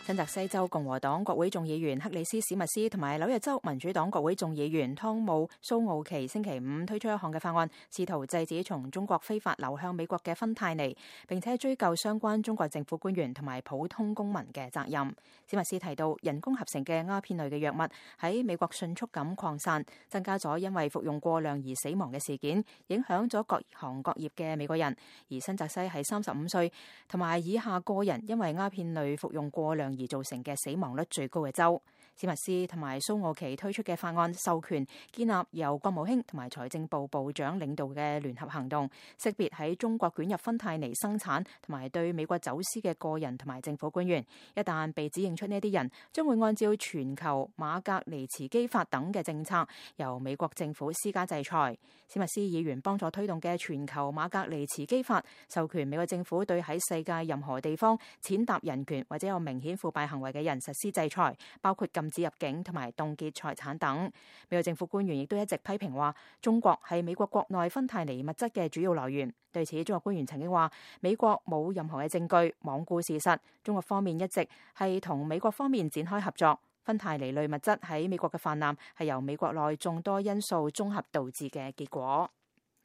新澤西州共和黨國會眾議員克里斯史密斯同埋紐約州民主黨國會眾議員湯姆蘇奧奇星期五推出一項嘅法案，試圖制止從中國非法流向美國嘅芬太尼，並且追究相關中國政府官員同埋普通公民嘅責任。史密斯提到，人工合成嘅鴉片類嘅藥物喺美國迅速咁擴散，增加咗因為服用過量而死亡嘅事件，影響咗各行各業嘅美國人。而新澤西係35歲同埋以下個人因為鴉片類服用過量而造成嘅死亡率最高嘅州。史密斯同埋蘇奧奇推出嘅法案授權建立由國務卿同埋財政部部長領導嘅聯合行動，識別喺中國捲入芬太尼生產同埋對美國走私嘅個人同埋政府官員。一旦被指認出呢啲人，將會按照全球馬格尼茨基法等嘅政策，由美國政府施加制裁。史密斯議員幫助推動嘅全球馬格尼茨基法，授權美國政府對喺世界任何地方踐踏人權或者有明顯腐敗行為嘅人實施制裁，包括禁止入境同埋凍結財產等。美國政府官員亦都一直批評話，中國係美國國內芬太尼物質嘅主要來源。對此，中國官員曾經話，美國冇任何嘅證據，罔顧事實。中國方面一直係同美國方面展開合作。芬太尼類物質喺美國嘅泛濫係由美國內眾多因素綜合導致嘅結果。